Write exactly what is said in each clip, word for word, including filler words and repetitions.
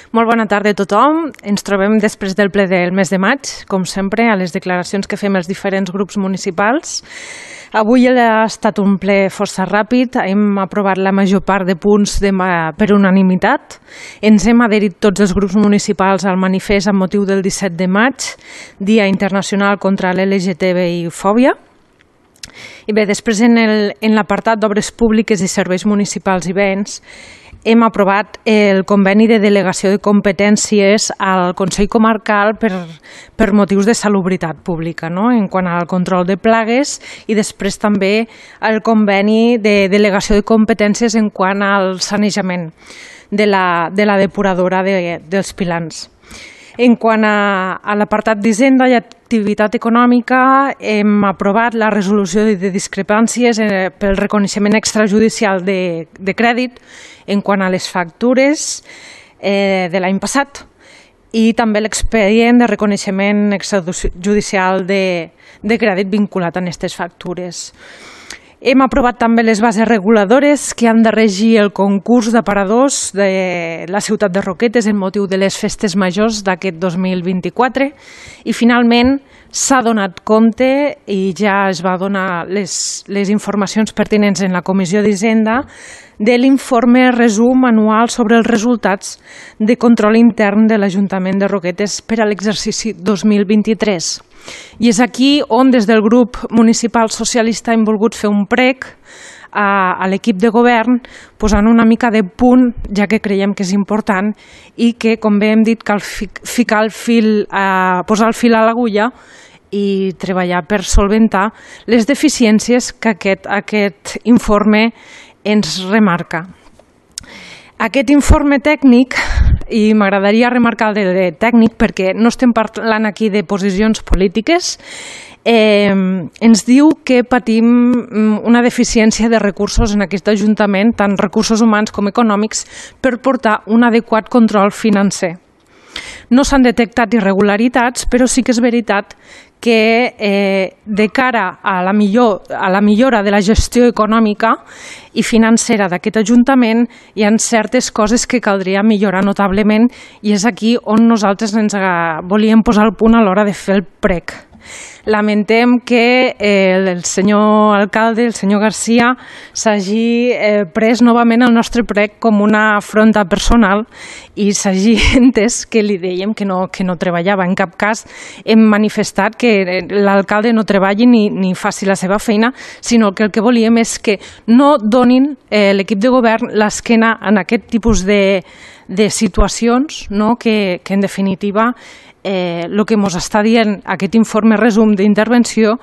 Molt bona tarda a tothom. Ens trobem després del ple del mes de maig, com sempre, a les declaracions que fem els diferents grups municipals. Avui ha estat un ple força ràpid, hem aprovat la major part de punts de, per unanimitat. Ens hem adherit tots els grups municipals al manifest amb motiu del disset de maig, Dia Internacional contra l'L G T B I Fòbia. I bé, després en l'apartat d'obres públiques i serveis municipals i béns, hem aprovat el conveni de delegació de competències al Consell Comarcal per, per motius de salubritat pública, no? En quant al control de plagues, i després també el conveni de delegació de competències en quant al sanejament de la, de la depuradora de, dels pilans. En quant a, a l'apartat d'Hisenda i activitat econòmica, hem aprovat la resolució de discrepàncies eh, pel reconeixement extrajudicial de, de crèdit en quant a les factures eh, de l'any passat i també l'expedient de reconeixement extrajudicial de, de crèdit vinculat a aquestes factures. Hem aprovat també les bases reguladores que han de regir el concurs d'aparadors de la ciutat de Roquetes en motiu de les festes majors d'aquest dos mil vint-i-quatre i finalment s'ha donat compte i ja es va donar les, les informacions pertinents en la Comissió d'Hisenda de l'informe resum anual sobre els resultats de control intern de l'Ajuntament de Roquetes per a l'exercici dos mil vint-i-tres. I és aquí on des del grup municipal socialista hem volgut fer un prec a, a l'equip de govern posant una mica de punt, ja que creiem que és important i que, com bé hem dit, cal ficar el fil, a, posar el fil a l'agulla i treballar per solventar les deficiències que aquest, aquest informe ens remarca. Aquest informe tècnic, i m'agradaria remarcar el de tècnic perquè no estem parlant aquí de posicions polítiques, eh, ens diu que patim una deficiència de recursos en aquest Ajuntament, tant recursos humans com econòmics, per portar un adequat control financer. No s'han detectat irregularitats, però sí que és veritat que eh, de cara a la, millor, a la millora de la gestió econòmica i financera d'aquest Ajuntament hi ha certes coses que caldria millorar notablement i és aquí on nosaltres ens volíem posar el punt a l'hora de fer el prec. Lamentem que eh, el senyor alcalde, el senyor Garcia, s'hagi eh, pres novament el nostre prec com una afronta personal i s'hagi entès que li dèiem que no, que no treballava. En cap cas hem manifestat que l'alcalde no treballi ni, ni faci la seva feina, sinó que el que volíem és que no donin eh, l'equip de govern l'esquena en aquest tipus de, de situacions, no? que, que en definitiva Eh, el que ens està dient aquest informe resum d'intervenció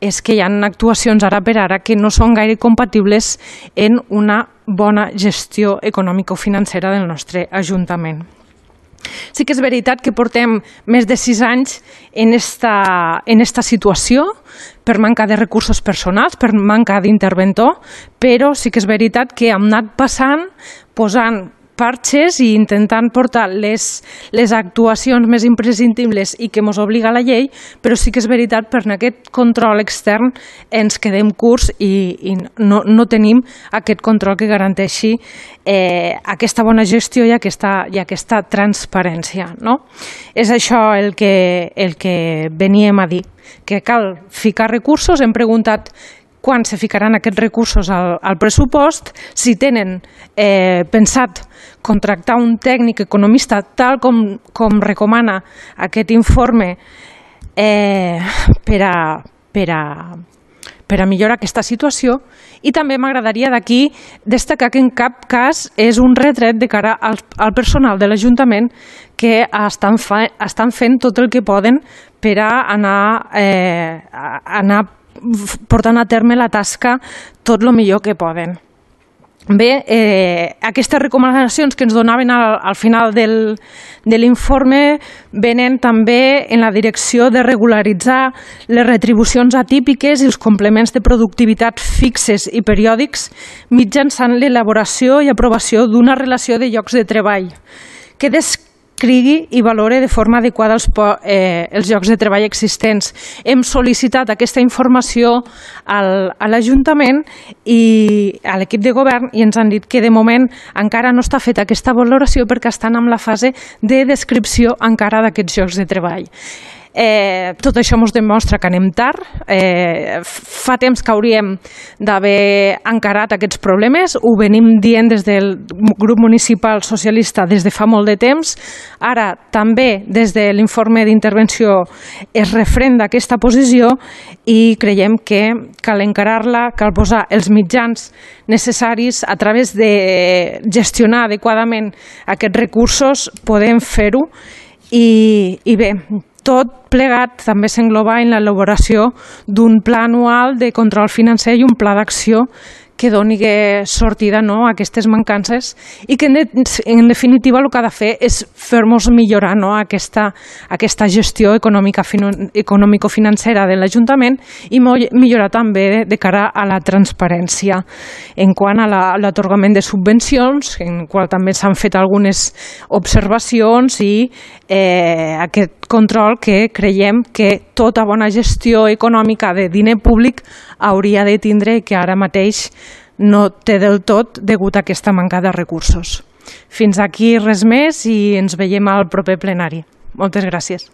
és que hi ha actuacions ara per ara que no són gaire compatibles en una bona gestió econòmico-financera del nostre Ajuntament. Sí que és veritat que portem més de sis anys en esta, en esta situació per manca de recursos personals, per manca d'interventor, però sí que és veritat que hem anat passant, posant parxes i intentant portar les, les actuacions més imprescindibles i que ens obliga la llei, però sí que és veritat per aquest control extern ens quedem curts i, i no, no tenim aquest control que garanteixi eh, aquesta bona gestió i aquesta, i aquesta transparència. No? És això el que, el que veníem a dir, que cal ficar recursos. Hem preguntat quan se ficaran aquests recursos al, al pressupost, si tenen eh, pensat contractar un tècnic economista tal com, com recomana aquest informe eh, per, a, per, a, per a millorar aquesta situació. I també m'agradaria d'aquí destacar que en cap cas és un retret de cara al, al personal de l'Ajuntament que estan, fa, estan fent tot el que poden per a anar, eh, a anar portant a terme la tasca tot el millor que poden. Bé, eh, aquestes recomanacions que ens donaven al, al final del, de l'informe venen també en la direcció de regularitzar les retribucions atípiques i els complements de productivitat fixes i periòdics mitjançant l'elaboració i aprovació d'una relació de llocs de treball que des crigui i valore de forma adequada els, eh, els llocs de treball existents. Hem sol·licitat aquesta informació al, a l'Ajuntament i a l'equip de govern i ens han dit que de moment encara no està feta aquesta valoració perquè estan en la fase de descripció encara d'aquests llocs de treball. Eh, tot això ens demostra que anem tard, eh, fa temps que hauríem d'haver encarat aquests problemes, ho venim dient des del grup municipal socialista des de fa molt de temps, ara també des de l'informe d'intervenció es refrenda aquesta posició i creiem que cal encarar-la, cal posar els mitjans necessaris a través de gestionar adequadament aquests recursos, podem fer-ho i, i bé, tot plegat també s'engloba en l'elaboració d'un pla anual de control financer i un pla d'acció que doni sortida a aquestes mancances i que en definitiva el que ha de fer és fer-nos millorar aquesta gestió econòmico-financera de l'Ajuntament i millorar també de cara a la transparència en quant a l'atorgament de subvencions, en qual també s'han fet algunes observacions i aquest control que creiem que tota bona gestió econòmica de diner públic hauria de tindre i que ara mateix no té del tot degut a aquesta manca de recursos. Fins aquí res més i ens veiem al proper plenari. Moltes gràcies.